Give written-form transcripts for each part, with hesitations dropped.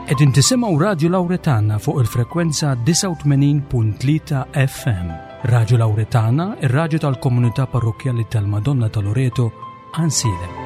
Qegħdin tisimgħu Radju Lawretana fuq il-frekwenza 89.3 FM. Radju Lawretana, ir-radju tal-komunità parrokkjali tal-Madonna ta' Loreto, Għansielem.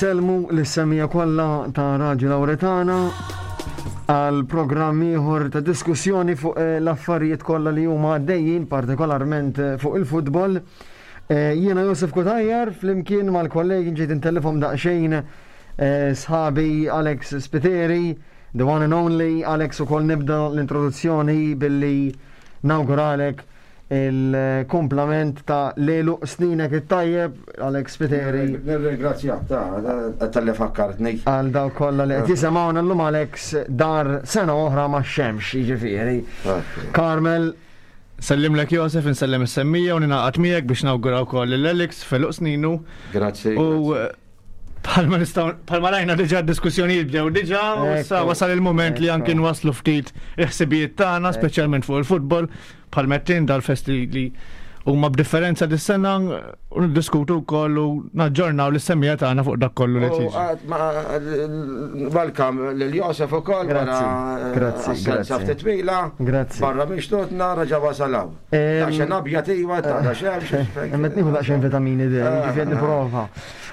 Insellmu lis-semmiegħa kollha ta' Radju Lawretana għal programm ieħor ta' diskussjoni fuq eh, l-affarijiet kollha li huma għaddejjin, partikolarment eh, fuq il-futbol. Eh, jiena Josef Kutajjar flimkien mal-kollegi ġejt intellifhom daqsxejn sħabi Alex Spiteri, the one and only Alex ukoll nibda l-introduzzjoni billi nawguralek il-kumplament ta' l-għeluq sninek it-tajjeb, Alex Spiteri. Nirringrazzjak ta' tal-li fakkartni. Għal dawk kollha li qed jisimgħuna llum Alex dar sena oħra max-xemx, jiġifieri. Carmel. Nsellimlek Josef, insellem is-semmija u ningħaqad miegħek biex nawgura wkoll lil Alex f'għeluq sninu. Grazzi. U Bħalma nistgħu bħalma rajna diġà d-diskussjonijiet bdew diġà u issa wasal il-mument li anki nwasslu ftit il-ħsibijiet tagħna, speċjalment fuq il-futbol, bħal mettin dal-festi li huma b'differenza dis-sena u niddiskutu wkoll u naġġornaw lis-semmiegħa tagħna fuq dak kollu li qed jiġri. Welcome lil Josef ukoll wara Grazzi, assenza grazzi. ftit twila. Grazzi. Barra minn xtutna reġa' wasal hawn. Daqsxejn abjad iva, ta' daqsxejn. Imma qed nieħu daqsxejn vitamini D, jiġifieri nipprova.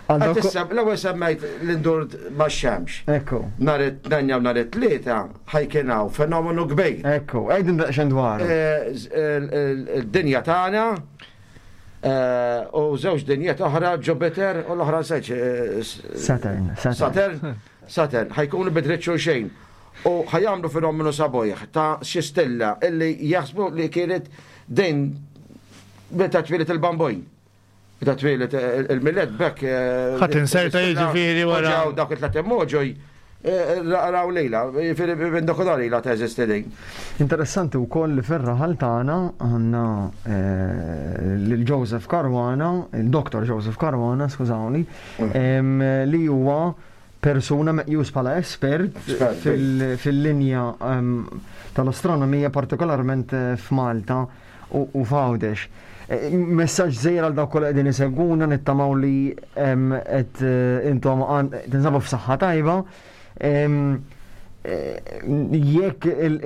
L-ewwel semmejt l-indur max-xemx. Ekku. Nhar it-Tnejn jew nhar it-Tlieta ħa jkun hawn fenomenu kbir. Ekku, għidin daqsxejn dwaru. Id-dinja tagħna u żewġ dinjiet oħra, Jupiter u l-oħra nsejt. Saturn. Saturn, Saturn, ħa jkunu bi dritt xulxin. U ħa jagħmlu fenomenu sabiħ ta' xi stilla illi jaħsbu li kienet din meta twieled il-bambin. Meta twieled il-Milied b'hekk. Ħadd inserta jiġifieri wara. Ġew dawk it-tlet immoġoj raw lejla, jiġifieri minn dak inhar ilha teżisti din. Interessanti wkoll li fir-raħal tagħna għandna lil Joseph Caruana, il-Dr. Joseph Caruana, skużawni, li huwa persuna meqjus bħala espert fil-linja tal-astronomija partikolarment f'Malta. u f'Għawdex. Messaġġ żgħir għal dawk kollha qegħdin isegwuna nittamaw li qed intom tinsabu f'saħħa tajba. Jekk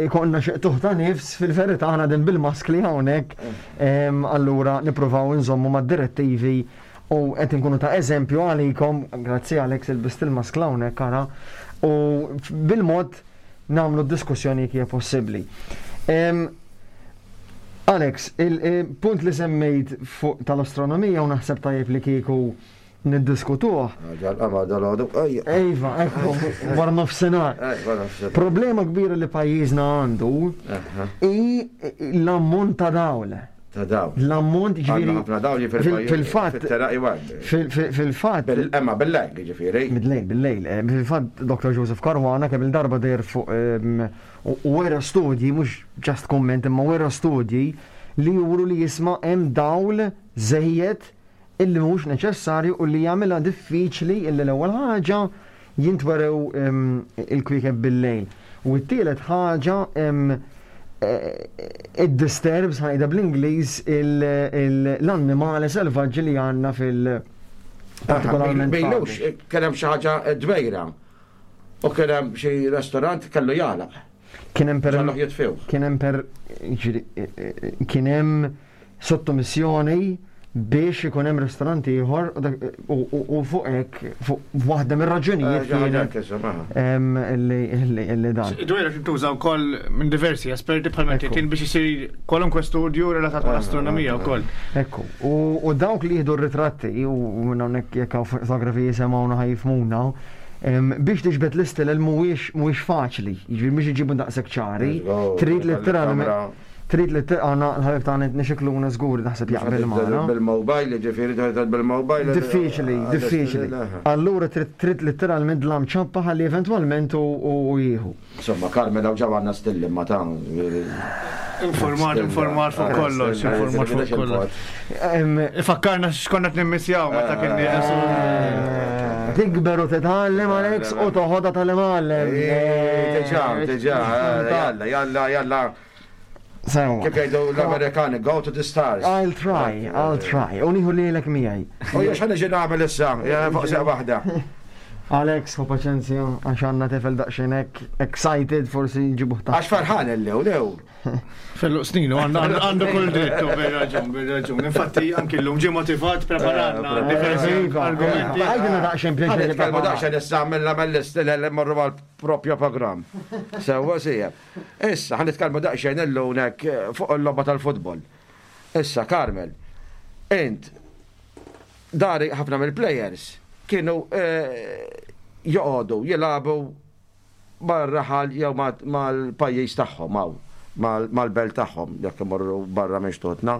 ikollna xi qtugħ ta' nifs, fil-verità aħna din bil-maskli hawnhekk, allura nippruvaw inżommu mad-direttivi u qed inkunu ta' eżempju għalikom, grazzi Alex ilbist il-maskla hawnhekk ara, u bil-mod nagħmlu d-diskussjoni jekk hija possibbli. Alex, il-punt li semmejt fuq tal-astronomija u naħseb tajjeb li kieku niddiskutuh. Ġal-qamar dal-għodu. Iva, ekku, wara nofsinhar. Problema kbira li pajjiżna għandu hi l-ammont ta' dawl. Ta' dawl. L-ammont ġifieri. Ħafna dawl jiġifieri. Fil-fatt. Fil-fatt. Imma bil-lejl jiġifieri. Bil-lejl, bil-lejl. Fil-fatt Dr. Joseph Caruana kemm il-darba deher fuq U wera studji, mhux just kumment, imma wera studji li juru li jisma' hemm dawl żejjed illi mhux neċessarju u li jagħmilha diffiċli illi l-ewwel ħaġa jintwerew il-kwiekeb bil-lejl. U t-tielet ħaġa id-disturbs, ħa ngħidha bl-Ingliż, l-annimali selvaġġi li għandna fil- partikolarment. Bejlux, kien hemm xi ħaġa dwejra. U kien hemm xi restorant kellu jagħlaq. Kien hemm per Ġalluh jitfew. Kien hemm per jiġifieri, kien hemm sottomissjoni biex ikun hemm restorant ieħor u fuq hekk fuq waħda mir-raġunijiet kienet li dan. Dwejra tintuża wkoll minn diversi esperti bħal meta kien biex isir kwalunkwe studju relatat mal-astronomija wkoll. Ekku, u dawk li jieħdu r-ritratti u minn hawnhekk jekk hawn fotografi jisimgħuna ħa jifhmuna, Biex tiġbed l-istilel mhuwiex mhuwiex faċli, jiġifieri mhux iġibu daqshekk ċari. Trid letteralment trid li għandna l-ħabib tagħna nixekluna żgur naħseb jaqbel magħna. Bil-mobile, jiġifieri trid bil-mobile. Diffiċli, diffiċli. Allura trid letteralment dlam ċappa ħalli eventwalment u jieħu. Insomma, Carmel hawn ġa għandna stilli ma ta' Informat, informat fuq kollox, informat fuq kollox. Ifakkarna x'konna qed nimmisjaw meta kien nieqes. Tikber u titgħallem Alex u toħodha tal-imgħallem. Diġà, diġà, jalla, jalla, jalla. Sewa. Kif jgħidu l-Amerikani, go to the stars. I'll try, I'll try. U nieħu lilek miegħi. U jiex ħa niġi nagħmel issa, fuq seq waħda. Alex, ħu paċenzja, għax għandna tifel daqsxejn hekk excited forsi nġibuh ta' Għax farħan il-lew, lew. Fellu sninu, għandu kull dritt, u bil-raġun, bil-raġun. Infatti, anki l-lum ġie motivat, preparanna eh, diversi Iva, argumenti. Għajdilna daqsxejn pjaċir. Nitkellmu daqsxejn issa mill mill-istil li morru għal propju programm. Sewwa sija. Issa ħa nitkellmu daqsxejn illum hekk eh, fuq il-logħba tal-futbol. Issa Carmel, int dari ħafna mill-players kienu eh, joqogħdu jilagħbu mar-raħal jew mal-pajjiż tagħhom hawn, mal-belt tagħhom jekk imorru barra minn xtutna.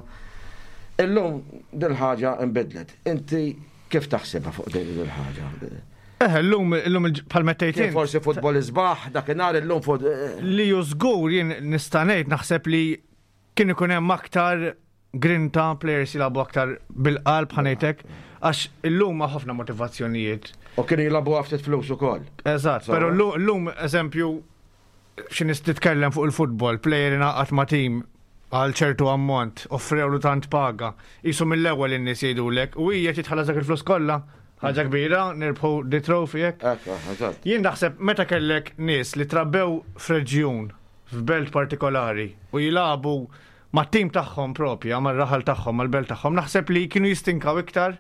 Illum dil-ħaġa nbidlet. Inti kif taħsibha fuq din il-ħaġa? Eh, l-lum, l-lum bħal mettejtin. Forsi futbol isbaħ, dakinhar illum fut. Li ju żgur jien nista' ngħid naħseb li kien ikun hemm aktar grinta, players jilagħbu aktar bil-qalb ħa ngħidlek, għax illum ma ħafna motivazzjonijiet. U kienu jilagħbu ftit flus ukoll. Eżatt, però llum eżempju xi nies titkellem fuq il-futbol, player ingħaqad ma' tim għal ċertu ammont, offrewlu tant paga, jisu mill-ewwel in-nies jgħidulek u hija titħallas dak il-flus kollha, ħaġa kbira, nirbħu di trophy hekk. Ekku, eżatt. Jien naħseb meta kellek nies li trabbew f'reġjun, f'belt partikolari u jilagħbu mat-tim tagħhom propja, mar-raħal tagħhom, mal-belt tagħhom, naħseb li kienu jistinkaw iktar,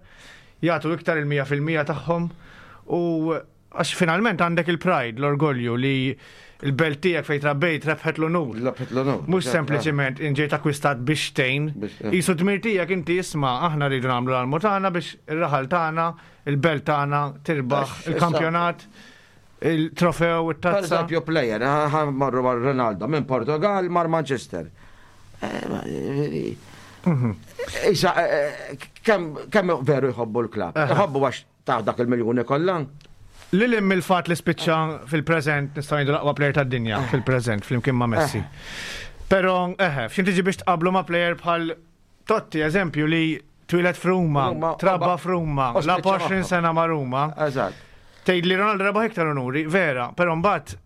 jagħtu iktar il-100% tagħhom u għax finalment għandek il-pride, l-orgolju li il-belt tiegħek fejn trabbejt rebħet l-unur. Rebħet l-unur. Mhux sempliċement inġejt akkwistat biex tgħin. Jisu dmir tiegħek inti isma' aħna rridu nagħmlu l-almu tagħna biex ir-raħal tagħna, il-belt tagħna tirbaħ il-kampjonat, il-trofew, it-tazza. Per eżempju, player, marru mar Ronaldo minn Portugal mar Manchester. Issa, kemm veru jħobbu l-klab? Jħobbu għax ta' dak il-miljoni kollha. Lil hemm il-fat li spiċċa fil-preżent nistgħu ngħidu l-aqwa player tad-dinja fil-preżent flimkien ma' Messi. Però eħe, f'xin tiġi biex tqablu ma' player bħal Totti, eżempju li twieled f'Ruma, Ruma, trabba f'Ruma, u la spiċċa 20 magħhom. sena ma' Ruma. Eżatt. Tgħid li Ronaldo rebaħ iktar onuri, vera, però mbagħad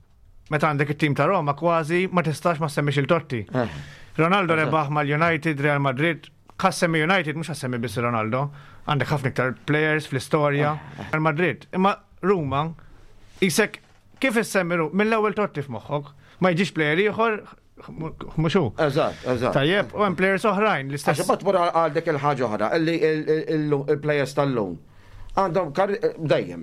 meta għandek it-tim ta' Roma kważi ma tistax ma semmix il-Totti. Ronaldo rebaħ mal-United, Real Madrid, ħa ssemmi United, mhux ħa ssemmi biss Ronaldo, għandek ħafna iktar players fl-istorja, Real Madrid. Imma Ruma, isek kif issemmi Ruma, mill-ewwel Totti f'moħħok, ma jiġix player ieħor, mhux hu. Eżatt, eżatt. Tajjeb, u hemm players oħrajn Għax l-istess. imbagħad tmur għal dik il-ħaġa oħra, illi il-players tal-lum għandhom dejjem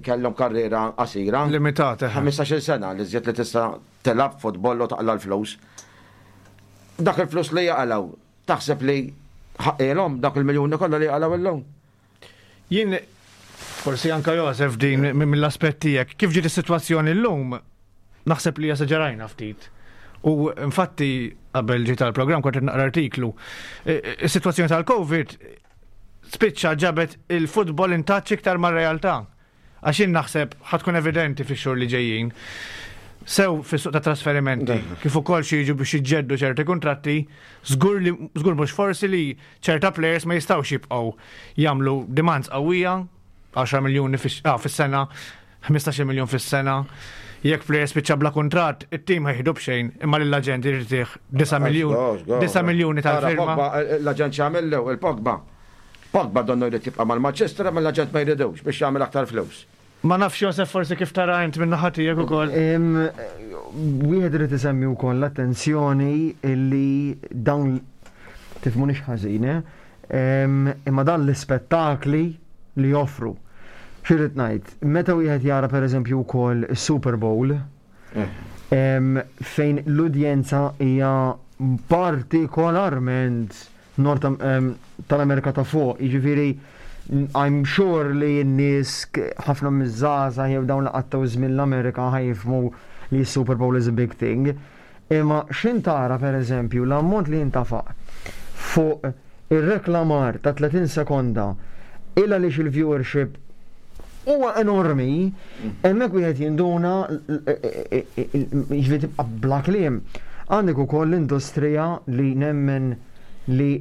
kellhom karriera qasira. Limitata. 15-il sena li żjed li tista' tilgħab futbol u taqla l-flus. Dak il-flus li jaqalaw, taħseb li ħaqqilhom dak il-miljuni kollha li jaqalaw illum? Jien forsi anka Josef din mill-aspett tiegħek, kif ġiet is-sitwazzjoni llum, naħseb li esaġerajna ftit. U infatti qabel ġiet tal-programm kont qed naqra artiklu. Is-sitwazzjoni tal-Covid spiċċa ġabet il-futbol in touch iktar mar-realtà. Għax jien naħseb ħa tkun evidenti fix-xhur li ġejjin. Sew fis-suq ta' trasferimenti, kif ukoll xi jiġu biex jiġġeddu ċerti kuntratti, żgur li żgur mhux forsi li ċerta players ma jistgħux jibqgħu jagħmlu demands qawwija, 10 miljuni fis-sena, 15 miljun fis-sena. Jekk player spiċċa bla kuntratt, it-tim ħa jieħdu b'xejn, imma lill-aġent irid jtih 9 miljun, 9 miljuni tal-firma. Pogba, l-aġent x'għamillu, il-Pogba. Pogba donnu jrid jibqa' mal-Manchester, imma l-aġent ma jridux biex jagħmel aktar flus. Ma nafx Josef forsi kif tara int minn naħa tiegħek ukoll. Wieħed irid isemmi wkoll l-attenzjoni illi dawn tifmunix ħażin, eh? Imma dan l-ispettakli li joffru. X'irrid ngħid, meta wieħed jara pereżempju wkoll is-Super Bowl, fejn l-udjenza hija partikolarment Nord tal-Amerika ta' fuq, jiġifieri I'm sure li n-nies ħafna miż-żgħażagħ jew dawn li qattgħu żmien l-Amerika ħa jifhmu li s-Super Bowl is a big thing. Imma x'in tara pereżempju l-ammont li jintafaq fuq ir-reklamar ta' 30 sekonda il għaliex il-viewership huwa enormi, hemmhekk wieħed jinduna jiġifieri tibqa' bla kliem. Għandek ukoll l-industrija li nemmen li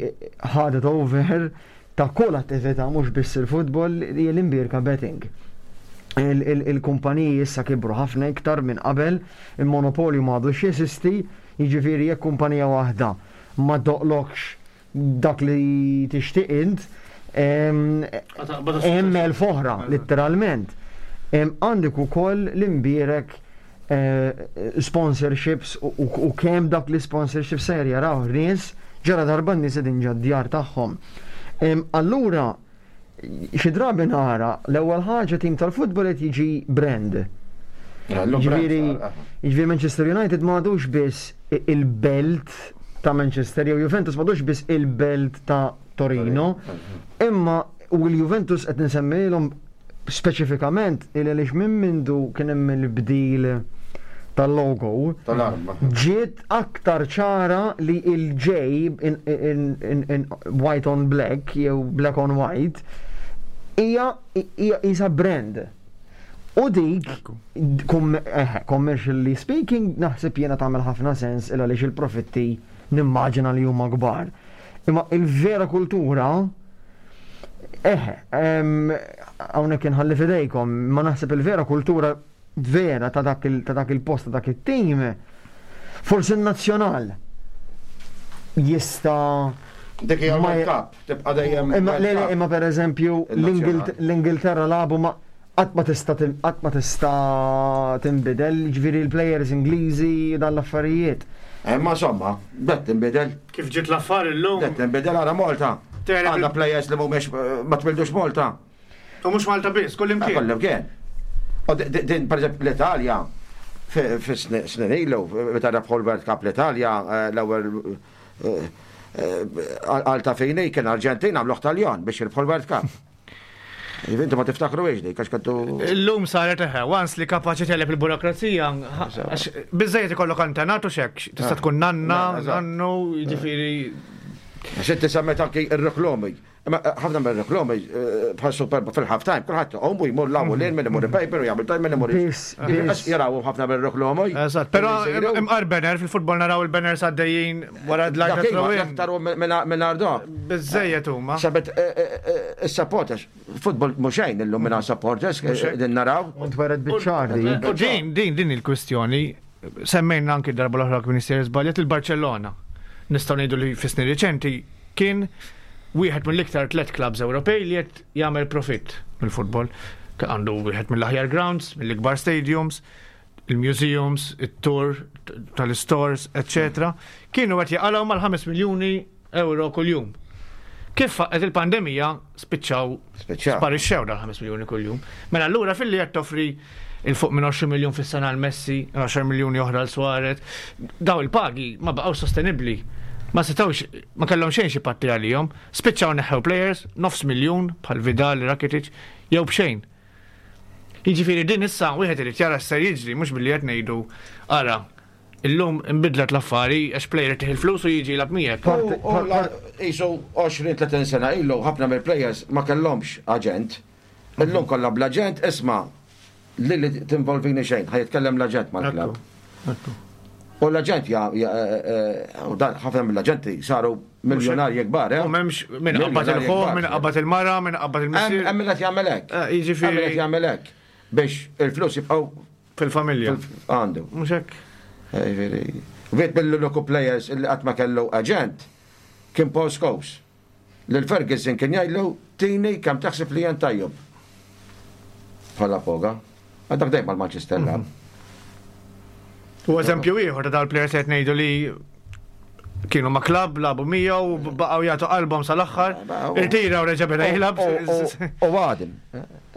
ħadet over ta' kull attività mhux biss il-futbol li hija l-imbierka betting. Il-kumpaniji issa kibru ħafna iktar minn qabel, il-monopolju ma għadux jeżisti, jiġifieri jekk kumpanija waħda ma doqlokx dak li tixtieq int, hemm elf oħra, letteralment. Għandek ukoll l-imbierek sponsorships u kemm dak li sponsorships ser jaraw nies ġara darba n-nies qegħdin ġad-djar tagħhom. Allura xi drabi nara l-ewwel ħaġa tim tal-futbol qed jiġi brand. Ġifieri ġifieri Manchester United ma għadux biss il-belt ta' Manchester jew Juventus ma għadux biss il-belt ta' Torino, imma u l-Juventus qed nsemmilhom speċifikament il għaliex minn mindu kien hemm il-bdil tal-logo ġiet aktar ċara li il-J in, in, in, in white on black jew black on white hija hija brand. U dik, commercially speaking, naħseb jiena tagħmel ħafna sens il għaliex il-profitti nimmaġina li huma kbar. Imma il-vera kultura, eħe, hawnhekk inħalli fidejkom, ma naħseb il-vera kultura vera ta' dak il-post ta' dak it-tim, forsi n-nazzjonal jista' Dik hija World Cup, tibqa' dejjem. Imma le, imma pereżempju l-Ingilterra lagħbu ma' qatt ma tista' qatt ma tista' tinbidel, jiġifieri l-players Ingliżi dan l-affarijiet. Imma insomma, bdet tinbidel. Kif ġiet l-affari llum. Bdet tinbidel ara Malta. Għandna players li mhumiex ma twildux Malta. U mhux Malta biss, kullimkien. Kullimkien. U din pereżempju l-Italja fi snin ilu, meta rebħu l-World Cup l-Italja l-ewwel għal ta' fini kien Arġentin għamluh Taljan biex jirbħu l-World Cup. Inti ma tiftakru ix dik, għax kontu. Illum saret eħe, once li kapaċi teleb il-burokrazija, biżejjed ikollok antenat u xek, tista' tkun nanna, nannu, jiġifieri. Għax inti semmet anki ir-reklomi. Imma ħafna mir-reklomi bħal Super fil-half time, kulħadd iqum u jmur law u lejl min imur il-paper u jagħmel tajn min imur. Biss. Jaraw ħafna mir-reklomi. Eżatt, però imqar banner fil-futbol naraw il-banners għaddejjin wara d-lajn ta' throw-in. Aktar minn dok. Biżejjed huma. Sabet is-supporters, futbol mhux xejn illum minn supporters din naraw. U ntweret biċ-ċar dik. U din din din il-kwistjoni semmejna anki darba l-oħra kien sejjer żbaljat il-Barcellona. Nistgħu ngħidu li fis-snin riċenti kien wieħed mill-iktar tlet clubs Ewropej li qed jagħmel profitt mill-futbol. Għandu wieħed mill-aħjar grounds, mill-ikbar stadiums, il-museums, it-tour tal-stores, etc. Kienu qed jaqalgħu mal-5 miljuni euro kuljum. Kif faqqet il-pandemija spiċċaw sparixxew dal-5 miljuni kuljum. Mela allura filli qed toffri il fuq minn 20 miljun fis-sena għal Messi, 10 miljuni oħra għal Suarez, daw il-pagi ma baqgħux sostenibbli. Ma setgħux, ma kellhom xejn xi patti għalihom, spiċċaw neħħew players, nofs miljun bħal Vidal, Rakitic, jew b'xejn. Jiġifieri din issa wieħed irid jara x'ser jiġri mhux billi qed ngħidu ara illum inbidlet l-affari għax player tih il-flus u jiġi jilgħab miegħek. Qisu 20-30 sena ilu ħafna mill-players ma kellhomx aġent. Illum kollha bl-aġent, isma' lili tinvolvini xejn, ħa jitkellem l-aġent mal-klabb. U l-aġent ja, u dan ħafna mill-aġenti saru miljonarji kbar, eh? U m'hemmx min qabad il-ħuh, min qabad il-mara, min qabad il-missier. Hemm min qed jagħmel hekk. Jiġifieri. Hemm min qed jagħmel hekk biex il-flus jibqgħu fil-familja. Għandu. Mhux hekk. Jiġifieri. Wieħed mill-uniku players li qatt ma kellu aġent kien Paul Scholes. Lil Ferguson kien jgħidlu tini kemm taħseb li jien tajjeb. Bħala foga. Għadak dejjem mal-Manchester lab. U eżempju ieħor ta' dal-players qed ngħidu li kienu ma' klabb, labu miegħu u baqgħu jagħtu qalbhom sal-aħħar. Irtira u reġa' beda jilgħab. U għadem.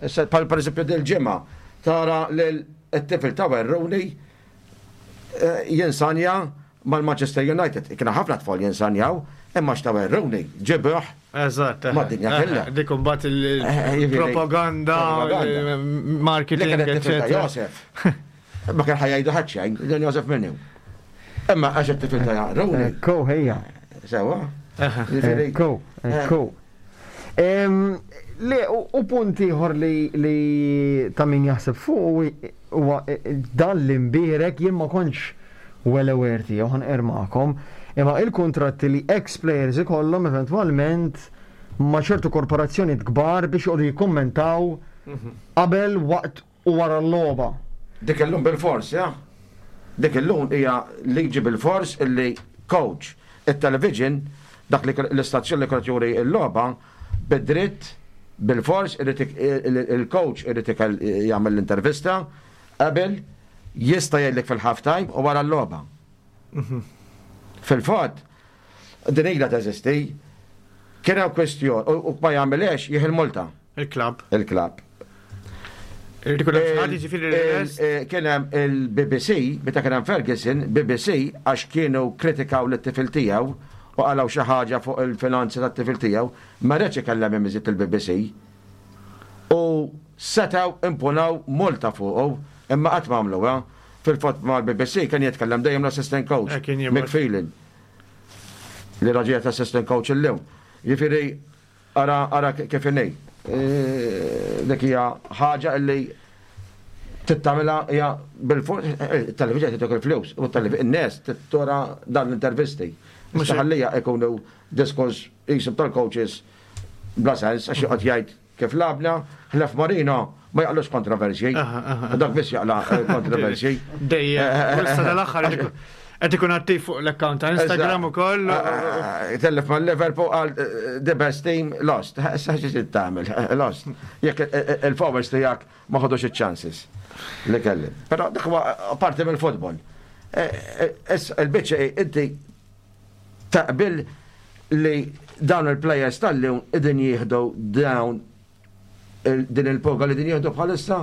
Issa bħal pereżempju dil-ġimgħa tara lil tifel ta' Rooney eh, jinsanja mal-Manchester United. Kien ħafna tfal jinsanjaw, imma x'ta' Rooney ġibih. Eżatt. Mad-dinja kollha. Dik imbagħad il-propaganda, marketing, eċetera. Josef. Ma kien ħajjajdu ħadd xejn, dan Josef minnu. Imma għax it-tifel ta' Rooney. Ekku, ejja. Sewa. Ekku, ekku. Le, u punt ieħor li ta' min jaħseb fuq huwa dan l-imbierek jien ma kontx well aware tiegħu ħa nqerr magħkom, imma il-kuntratti li ex players ikollhom eventwalment ma' ċertu korporazzjonijiet kbar biex joqogħdu jikkummentaw qabel, waqt u wara l-logħba. Dik illum bilfors, ja. Dik illum hija liġi bilfors illi coach, it-television, dak li l-istazzjon li kienet juri l-logħba, bid-dritt. Bil-fors il-coach irid jagħmel l-intervista qabel jista' jgħidlek fil-half time u wara l-logħba. Fil-fatt, din ilha teżisti, kien hemm kwestjoni u ma jagħmilhiex jieħi l-multa. Il-klabb. Il-klabb. Kien hemm il-BBC, meta kien hemm Ferguson, BBC għax kienu kritikaw lit-tifel tiegħu u qalgħu xi ħaġa fuq il-finanzi tat-tifel tiegħu, ma riedx ikellem imiżjed il-BBC. U setgħu impunaw multa fuqu, imma qatt ma għamluha. Fil-fatt mal-BBC kien jitkellem dejjem l-assistant coach, Mick Phelan, li raġel assistant coach illum. Jiġifieri Ara, ara kif inhi. Dik hija ħaġa li tittamilha hija bil-fuq, il-television titok il-flus, u n-nies tora dan l-intervisti. Mhux ħallija ikunu diskors jisib tal-coaches bla sens għax joqgħod jgħid kif labna, ħlef Marino ma jaqlux kontroversji. Dak biss jaqla kontroversji. Dejjem, issa dal-aħħar Qed ikun attiv fuq l-account ta' Instagram ukoll. Tellef ma' Liverpool għal the best team lost. Issa xi tagħmel lost. Jekk il-forwards tiegħek ma ħodux iċ-chances li kelli. Però dak huwa parti mill-futbol. Issa il-biċċa inti taqbil li dawn il-players tal-lum idin jieħdu dawn din il-poga li din jieħdu bħalissa?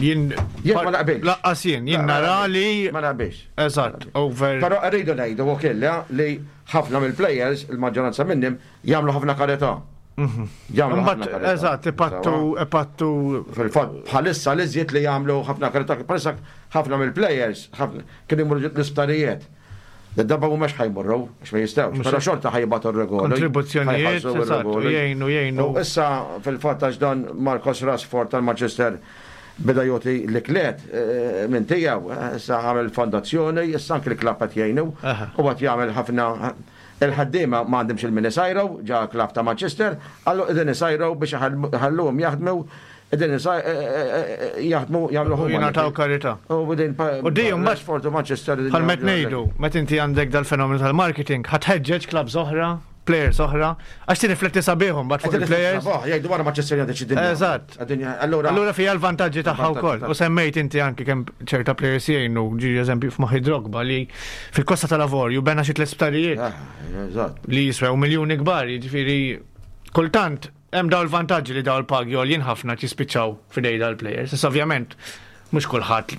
Jien jien ma naqbilx. Laqqas jien, jien nara li. Ma naqbilx. Eżatt, over. Però rridu ngħidu wkoll li ħafna mill-players, il-maġġoranza minnhom, jagħmlu ħafna karità. Mhm. Jagħmlu ħafna karità. Eżatt, ipattu, ipattu. Fil-fatt, bħalissa li żied li jagħmlu ħafna karità, bħalissa ħafna mill-players kienu jmorru l-isptarijiet. Darba mhux ħa jmorru, għax ma jistgħux, però xorta ħa jibagħtu r-regoli. Kontribuzzjonijiet, jgħinu, jgħinu. U issa fil-fatt għax dan Marcos Rashford tal-Manchester beda jagħti l-iklet eh, minn tiegħu, eh, issa għamel fondazzjoni, issa anki l-klabb qed jgħinu u qed jagħmel ħafna il-ħaddiema ma għandhomx il-min isajru ġa klabb ta' Manchester, għallu qegħdin isajru biex iħalluhom jaħdmu Qegħdin jaħdmu jagħmlu huma. Jingħataw karità. U din U di mbagħad Rashford u Manchester. Bħal met ngħidu, meta inti għandek dal-fenomenu tal-marketing, ħa tħeġġeġ clubs oħra, players oħra, għax tirrifletti sabiħhom mbagħad fuq il-players. Jgħidu wara Manchester United xi dinja. Eżatt. Allura Allura fija l-vantaġġi tagħha wkoll. U semmejt inti anki kemm ċerta players jgħinu, ġi eżempju f'moħħi Drogba li fil-Kosta tal-Avorju bena xi tliet sptarijiet. Ah, eżatt. Li jiswew miljuni kbar, jiġifieri kultant Hemm dawn il-vantaġġi li dawn il-pagi għoljin ħafna qed jispiċċaw f'idej dal-plejers. Issa ovvjament mhux kulħadd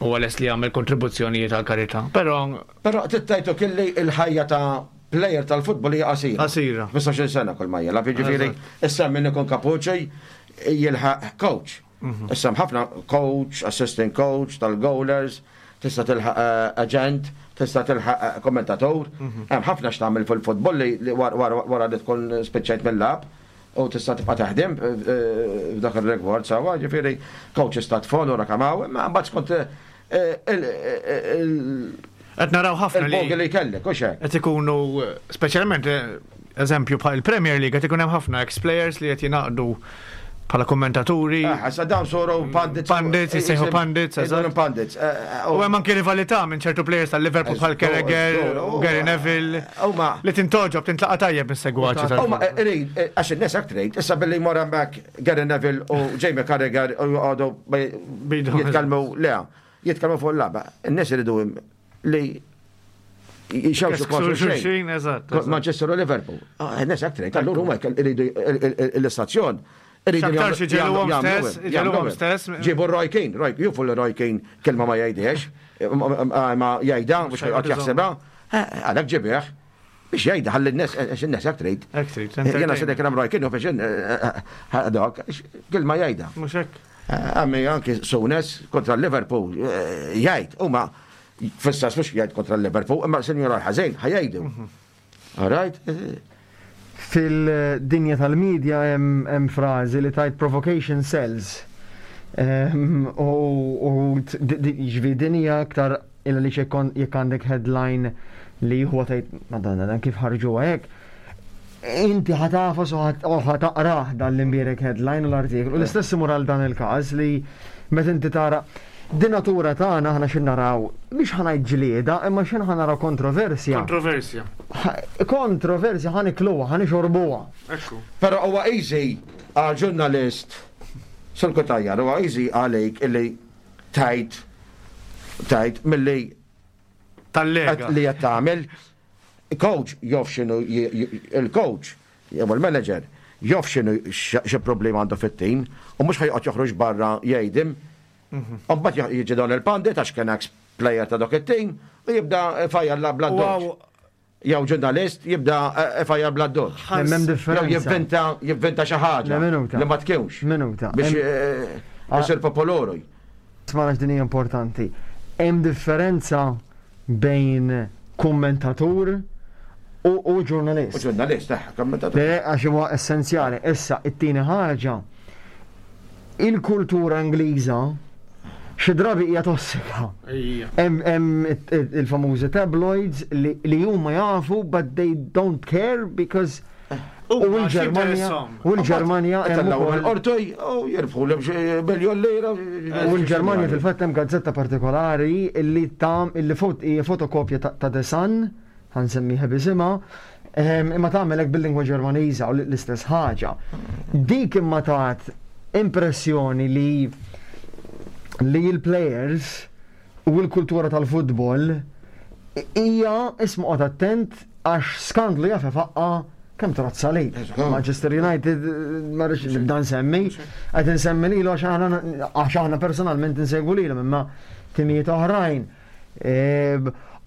huwa lest li jagħmel kontribuzzjonijiet għall-karità, però Però trid tgħid ukoll li l-ħajja ta' plejer tal-futbol hija qasira. Qasira. 15-il sena kull ma jilgħab, jiġifieri issa min ikun kapuċi jilħaq coach. Issa hemm ħafna coach, assistant coach, tal-goalers, tista' tilħaq aġent, tista' tilħaq kommentatur. Hemm ħafna x'tagħmel fil-futbol li wara li tkun spiċċajt mill-lagħab u tista' tibqa' taħdem f'dak ir-rigward sewwa, ġifieri coaches ta' tfal u rakamaw, imma mbagħad skont il Qed naraw ħafna li. Il-bogey li jkellek, hux hekk? Qed ikunu speċjalment eżempju bħal il-Premier League qed ikun hemm ħafna ex-players li qed jingħaqdu bħala kommentaturi. Ah, sa dawn soru pundits. Pundits, jissejħu pundits, eżatt. Pundits. Eh, eh, u hemm anke rivalità minn ċertu players tal-Liverpool bħal Carragher, Gary Neville. Li tintoġob, tintlaqa tajjeb mis-segwaċi tal Huma irid għax in-nies hekk trid, issa billi jmur hemmhekk Gary Neville u Jamie Carragher u joqogħdu jitkellmu le, jitkellmu fuq il-lagħba. In-nies iridu li jxewxu kontra xulxin, eżatt. Manchester u Liverpool. Ah, Nes hekk trid, allura huma iridu l-istazzjon. X'aktarx iġegħluhom stess, iġegħluhom stess. Ġibu Roy Keane, Roy, jufu li Roy Keane kelma ma jgħidiex, ma jgħidha, mhux ħajqgħod jaħsibha, eh, għalhekk ġibih biex jgħidha ħalli n-nies għax in-nies hekk trid. Hekk trid. Jiena se dik Roy Keane u biex eh, dak, kelma jgħidha. Mhux hekk. Eh, għammi anki Souness kontra Liverpool jgħid, huma Fis-sens mhux jgħid kontra l-Liverpool, imma sinjura l-ħażin ħajjgħidu. Mhm. All right? Fil-dinja tal-medja hemm frażi li tajt provocation sells. Ehm, u jiġifieri din hija aktar illa li jekk għandek headline li huwa tgħid madonna dan kif ħarġuha hekk. Inti ħatafas u ħataqrah dan l-imbierek headline u l-artiklu. L-istess imur għal dan il-każ li meta inti tara. Din natura tagħna aħna xi naraw, mhix ħa ngħid ġlieda, imma xi ħa naraw kontroversja. Kontroversja. Kontroversja ħa nikluha, ħa nixorbuha. Ekku. Però huwa easy għal ġurnalist Sur Cutajar, huwa easy għalik illi tgħid tgħid milli Tal-lega. li qed tagħmel. Coach jof x'inhu il-coach jew il-manager jof x'inhu xi problema għandu fit-tim u mhux ħa joqgħod joħroġ barra jgħidim. U mbagħad jiġi dawn il-pandit għax kien ex player ta' dak it-tim u jibda fajjar la bla doċ. Jew ġurnalist jibda fajjar bla doċ. Hemm differenza. Jew jivvinta jivvinta xi ħaġa li ma tkunx. Minuta. Biex isir popolari. Smana din hija importanti. Hemm differenza bejn kummentatur u ġurnalist. U ġurnalist, eh, kommentatur. Le, għax huwa essenzjali. Issa, it-tieni ħaġa, il-kultura Ingliża xi drabi hija tossika. Hemm il-famużi tabloids li huma jafu but they don't care because u l-Ġermanja u l-Ġermanja hemm ukoll u jirbħu miljon lira. U l-Ġermanja fil-fatt hemm gazzetta partikolari illi tam illi hija fotokopja ta' The Sun, ħa nsemmiha b'isimha, imma tagħmel hekk bil-lingwa Ġermaniża u l-istess ħaġa. Dik imma tat impressjoni li li l-players u l-kultura tal-futbol hija isma' qgħod attent għax skandlu jaf ifaqqa' kemm trozza li. Manchester United ma rridx nibda nsemmi, qed insemmi lilu għax aħna għax aħna personalment insegwu lilhom imma timijiet oħrajn.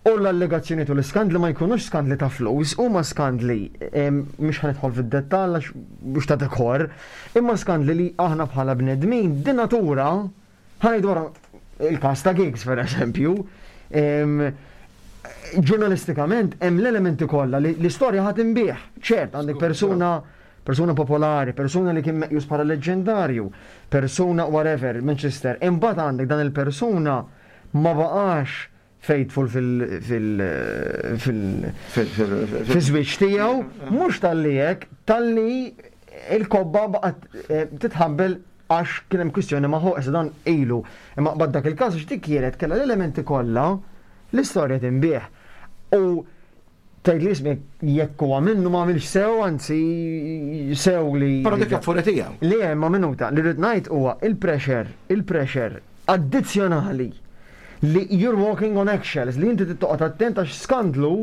U l-allegazzjonijiet u l-iskandli ma jkunux skandli ta' flus, huma skandli mhux ħa nidħol fid-dettall għax mhux ta' dekor, imma skandli li aħna bħala bnedmin di natura Ħa ngħidu wara il-każ ta' Giggs per eżempju, ġurnalistikament hemm l-elementi kollha li l-istorja ħa tinbiegħ. Ċert, għandek persuna persuna popolari, persuna li kien meqjus bħala leġġendarju, persuna whatever, Manchester. Imbagħad għandek dan il-persuna ma baqax faithful fil-żwieġ tiegħu, mhux talli hekk, talli il-kobba baqgħet eh, titħabbel għax kien hemm kwistjoni ma' issa dan ilu. Imma qbad dak il-każ għax dik kienet kellha l-elementi kollha l-istorja tinbiegħ. U tgħid li ismi jekk huwa minnu ma għamilx sew, anzi sew li. Però dik affuri tiegħu. Li hemm ma minuta li rrid ngħid huwa il-pressure, il-pressure addizzjonali li you're walking on eggshells, li inti trid toqgħod attent għax skandlu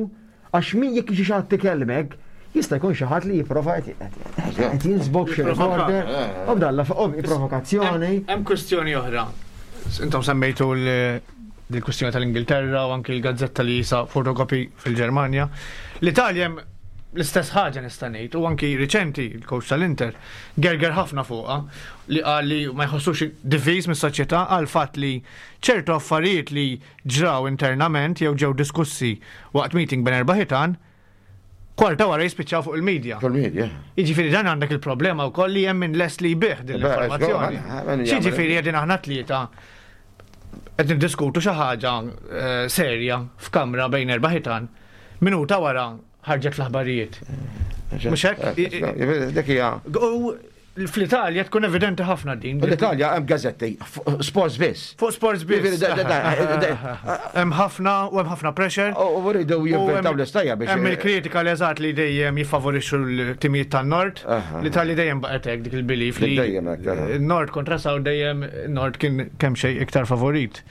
għax min jekk jiġi xi ħadd ikellmek, jista' jkun xi ħadd li jipprova qed jinsbok xi recorder, u b'dalla provokazzjoni. Hemm kwistjoni oħra. Intom semmejtu l-kwistjoni tal-Ingilterra u anki l-gazzetta li jisa fotokopi fil-Ġermanja. L-Italja hemm l-istess ħaġa nista' ngħid u anki riċenti il-coach tal-Inter gerger ħafna fuqha li qal li ma jħossux diviż mis-soċjetà għal fatt li ċertu affarijiet li ġraw internament jew ġew diskussi waqt meeting bejn erba' ħitan, kwarta wara jispiċċaw fuq il-media. Fuq il-media. Jiġifieri dan għandek il-problema wkoll li hemm min lest li jbigħ din l-informazzjoni. X'jiġifieri qegħdin aħna tlieta qed niddiskutu xi ħaġa eh, serja f'kamra bejn erba' ħitan, minuta wara ħarġet fl-aħbarijiet. Mhux hekk? Eh, dik hija. U fl-Italja tkun evidenti ħafna din. L-Italja hemm gazzetti, sports biss. Fuq sports biss. Hemm ħafna u hemm ħafna pressure. U rridu jivventaw l-istajja biex. Hemm il-kritika li eżatt li dejjem jiffavorixxu l-timijiet tan-Nord. L-Italja dejjem baqgħet hekk dik il-belief li Nord kontra South dejjem Nord kien kemm xejn iktar favorit.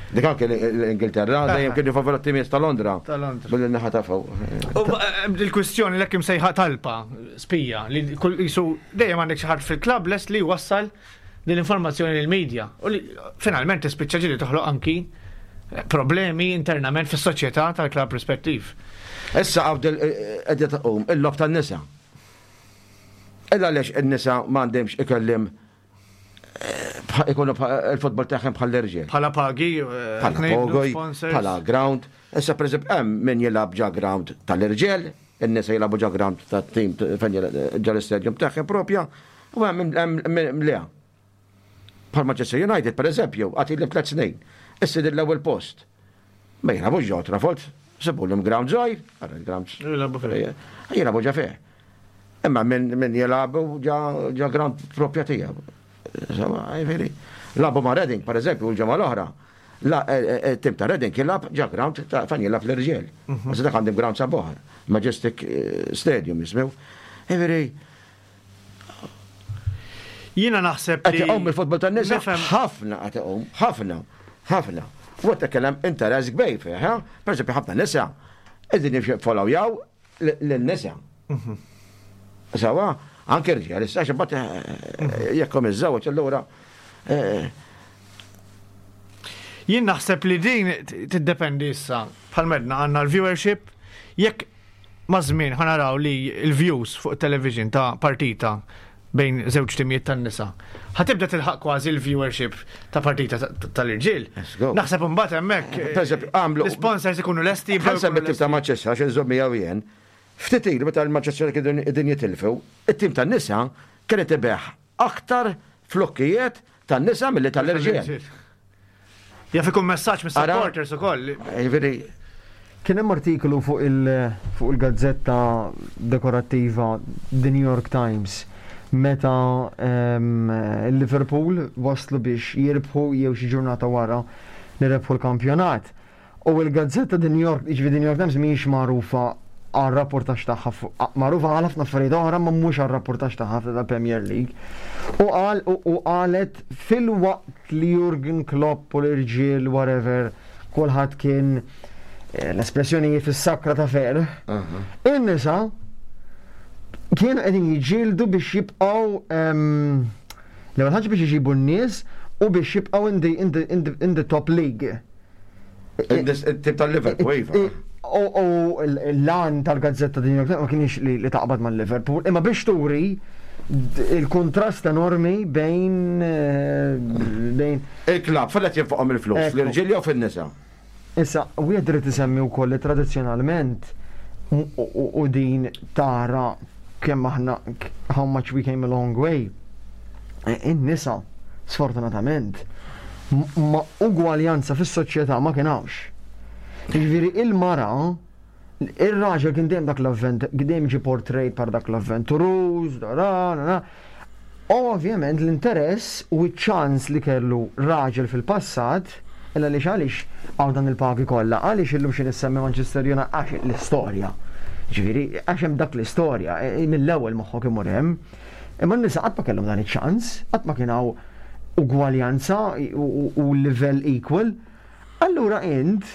Dik anke l-Ingilterra dejjem kienu favur t-timijiet ta' Londra. Ta' Londra. Billi naħa ta' fuq. U eh, il-kwistjoni l imsejħa talpa, spija, li jisu dejjem għandek xi ħadd fil-klabb lest li wassal din l-informazzjoni lill-medja. U li finalment tispiċċa ġieli toħloq anki eh, problemi internament fis-soċjetà tal-klabb rispettiv. Issa għawd qed tqum il-lob tan-nisa. Illa għaliex in-nisa m'għandhomx ikellim ikunu il-futbol tagħhom bħal l-irġiel. Bħala pagi, eh, bħala pagi, bħala ground. Issa pereżempju hemm min jilgħab ġa ground tal-irġiel, in-nisa jilagħbu ġa ground tat-tim fejn ġa l-istadium tagħhom propja, u hemm hemm le. Bħal Manchester United pereżempju, għad li tliet snin. Issa din l-ewwel post. Ma jilagħbux ġo Trafford, sibulhom ground żgħir, għara l-ground. Jilagħbu fih. Jilagħbu ġa fih. Imma min jilagħbu ġa ground propja tiegħu. Insomma, jiġifieri. Lagħbu ma' Reading, per eżempju, l-ġimgħa l-oħra. Tim ta' Reading jilgħab ġa ground ta' fejn jilgħab l-irġiel. Għax dak għandhom ground sabuħ, Majestic Stadium jismew. Jiġifieri Jiena naħseb li. Qed iqum il-futbol tan-nisa ħafna qed iqum, ħafna, ħafna. U qed kellem interess kbir fih, eh? Per eżempju ħafna nisa qegħdin jiffollowjaw lin-nisa. Mhm. Sawa, anke rġiel, issa xi mbagħad eh, mhm. jekk hom iżżewweġ allura eh, Jien naħseb li din tiddependi issa. Bħal medna għandna l-viewership, jekk ma' żmien ħanaraw li l-views fuq television ta' partita bejn żewġ timijiet tan-nisa. Ħa tibda tilħaq kważi l-viewership ta' partita tal-irġiel. Naħseb imbagħad hemmhekk. Eh, għamlu. L-sponsors ikunu lesti. Ħansem it-tim ta' Manchester għax inżomm miegħu jien. Ftit ilu meta l-Manchester kienu qegħdin jitilfu, it-tim tan-nisa kienet ibeħ aktar flokkijiet tan-nisa milli tal-irġiel. Jaf ikun messaġġ mis-supporters ukoll. Jiġifieri Kien hemm artiklu fuq il-gazzetta dekorattiva The New York Times meta l-Liverpool waslu biex jirbħu jew xi ġurnata wara li rebħu l-kampjonat. U l-gazzetta The New York, jiġifieri The New York Times mhijiex magħrufa għar-rapportaġġ tagħha fuq, magħrufa għal ħafna affarijiet oħra ma mhux għar-rapportaġġ tagħha tal-Premier League. U qal u qalet filwaqt li Jurgen Klopp u l-irġiel whatever kulħadd kien eh, l-espressjoni fis-sakra ta' ferħ, in-nisa kienu qegħdin jiġġieldu biex jibqgħu ehm, l-ewwel ħaġa biex iġibu n-nies u biex jibqgħu in the, in the, in the, in the top league. Tip tal-Liverpool, iva. U l-lan tal-gazzetta din ma kienx li taqbad mal-Liverpool, imma biex turi il-kontrast enormi bejn eh, bejn il-klab fil qed jinfoqhom il-flus, l-irġiel jew fin-nisa. Issa, wieħed irid isemmi wkoll li tradizzjonalment u din tara kemm aħna how much we came a long way. In-nisa, sfortunatament, ma ugwaljanza fis-soċjetà ma kien hawnx. Jiġifieri il-mara ir-raġel kien dejjem dak l-avvent, dejjem ġie portrayed par dak l-avventuruż, da da da. U ovvjament l-interess u ċ-ċans li kellu raġel fil-passat, illa għaliex għaliex hawn dan il-pagi kollha, għaliex illum xi nissemmi Manchester United għax l-istorja. Ġifieri, għax hemm dak l-istorja, e, e, mill-ewwel moħħok imur hemm. Imma n-nisa qatt ma kellhom dan iċ-ċans, qatt ma kien hawn ugwaljanza u livell equal. Allura int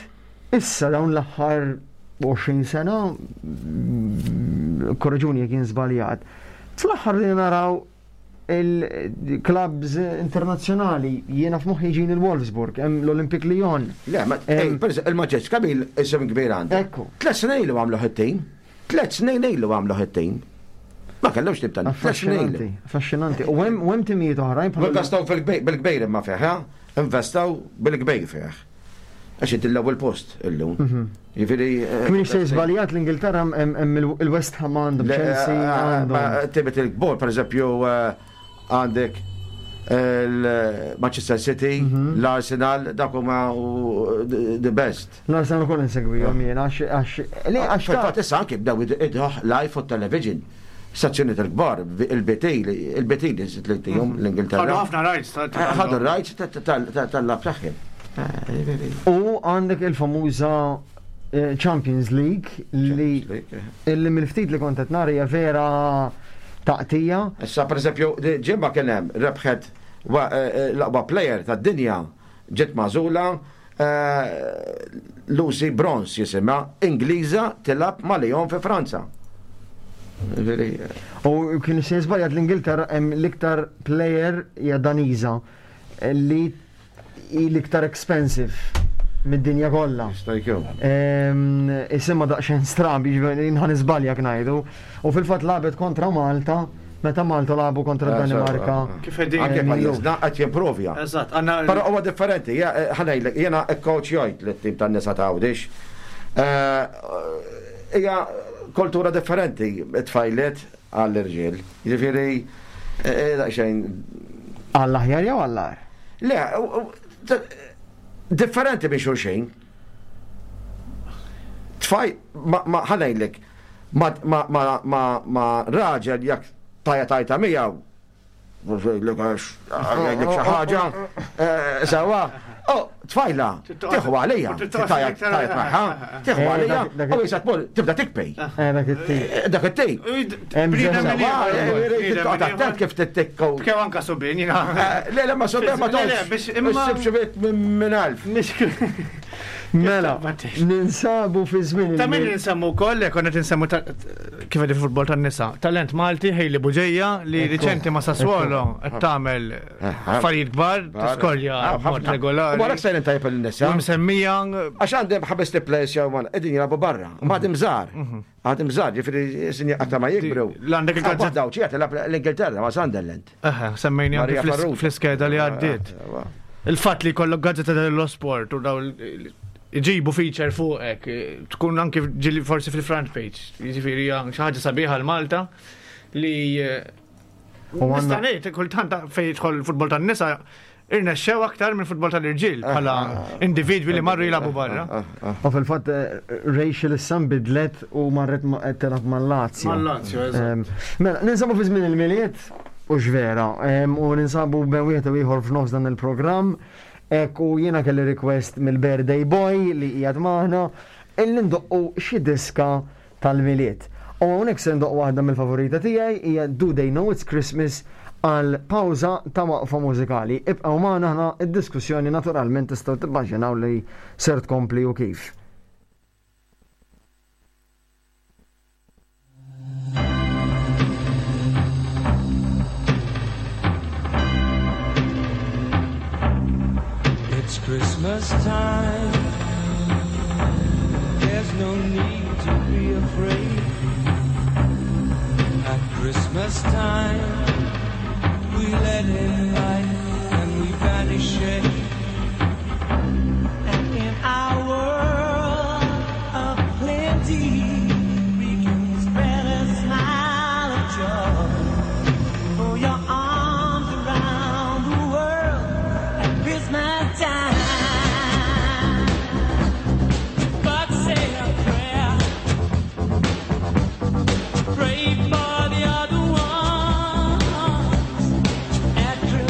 issa dawn l-aħħar 20 sena, korreġuni jekk jien żbaljat, fl-aħħar li naraw il-klabs internazzjonali, jiena f'moħħi ġin il-Wolfsburg, hemm l-Olympic Lyon. Le, ma il-Maġġeġ Kamil isem kbir għandu. Ekku. Tlet snin ilu għamlu ħittin. Tlet snin ilu għamlu ħittin. Ma kellhomx tip ta' Affaxxinanti, affaxxinanti. U hemm timijiet oħrajn bħal. Investaw bil-kbir imma fih, investaw bil-kbir fih. Għax inti l-ewwel post illum. Mhm. Jiġifieri. Eh, Kmin se żbaljat l-Ingilterra hemm il-West Ham għandhom Chelsea eh, għandhom. Tibet il-kbor, pereżempju eh, għandek il-Manchester City, mhm. l-Arsenal, dak huma the best. L-Arsenal ukoll insegwihom jien għax għax li għax Fil-fatt issa anki bdew idħoh live fuq television. Stazzjoni tal-kbar, il-BT, il-BT li tihom mhm. l-Ingilterra. Ħadu ħafna rights. Eh, ħadu rights tal-lab tagħhom. Eh, U għandek il-famuża eh, Champions League li illi mill-ftit li kont qed nara hija vera taqtija. Issa pereżempju ġimgħa kien hemm rebħet l-aqwa player tad-dinja ġiet magħżula Lucy Bronze jisimha, Ingliża tilgħab ma' Lyon fi Franza. U kien se żbaljat l-Ingilterra hemm l-iktar player hija Daniża li hi l-iktar expensive mid-dinja kollha. Jista' jkun. Isimha daqsxejn stramb, jiġifieri nħa niżbalja ngħidu. U fil-fatt lagħbet kontra Malta meta Malta lagħbu kontra eh, Danimarka. Kif qegħdin anke pajjiżna qed jimprovja. Eżatt, għandna Però huwa differenti, eh, ħanejlek jiena coach jgħid lit-tim tan-nisa ta' Għawdex. Eh, hija kultura differenti tfajlet għall-irġiel. Jiġifieri daqsxejn. Għall-aħjar jew għall-agħar? Le, differenti minn xulxin. Tfaj, ma ħanejlek, ma raġel jekk tajja tajta miegħu Ngħidlek għax ngħidlek xi ħaġa. Eh, Sawa, oh, tfajla, tieħu għalija, tajat magħha, tieħu Eh, għalija, dak- u jisa tmur tibda tikpej. Eh, dak it-tip. Eh, Dak it-tip. Hemm Sawa, eh, toqgħod attent kif tittikku. Kew anka subin, jina. Eh, Le, le, ma sobja ma Le, le, toqgħodx. biex imma- Issib xi bit minn alf. Mela, ninsabu fi żmien Ta' min il-milied. nsemmu wkoll, jekk konna tinsemmu kif qed il-futbol tan-nisa. Talent Malti Hailey Buġeja li riċenti ma' Sassuolo qed tagħmel affarijiet kbar, tiskorja b'mod regolari. U għalhekk sejrin tajjeb il-nisa. U msemmija Għax għandem ħabes li players jew għan, edin jilabu barra, ma għadim zar. Għadim zar, ġifiri sinja għatta ma jikbru. L-għandek il-gazzetta- Daw, ċiħat l-Ingilterra ma Sunderland. Eħe, semmejni anke Maria fl- Farrugia. fl-iskeda li għaddiet. Il-fatt li jkollok gazzetta dello sport u daw iġibu feature fuqek, tkun anki ġili forsi fil-front page, jiġifieri hija xi ħaġa sabiħa l-Malta li U għandna- nista' ngħid kultant fejn jidħol il-futbol tan-nisa irnexxew aktar minn futbol tal-irġiel bħala individwi li marru jilagħbu barra. U fil-fatt eh, Rachel issa nbidlet u marret qed tilgħab mal-Lazio. Mal-Lazio, eżatt. Mela, ninsabu fi żmien il-miliet u x'vera, u ninsabu bejn wieħed u ieħor f'nofs dan il-programm. Ek u jiena kelli request mill-Birthday Boy li qiegħed magħna illi ndoqqu xi diska tal-miliet. U hawnhekk se ndoqq waħda mill-favorita tiegħi hija Do They Know It's Christmas għal pawża ta' waqfa mużikali. Ibqgħu magħna aħna id-diskussjoni naturalment tistgħu tibbaġinaw li ser tkompli u kif. It's Christmas time. There's no need to be afraid. At Christmas time, we let in light and we banish shade. And in our world of plenty, we can spread a smile of joy. Throw your arms around the world at Christmas time. But say a prayer. Pray for the other ones at Christmas.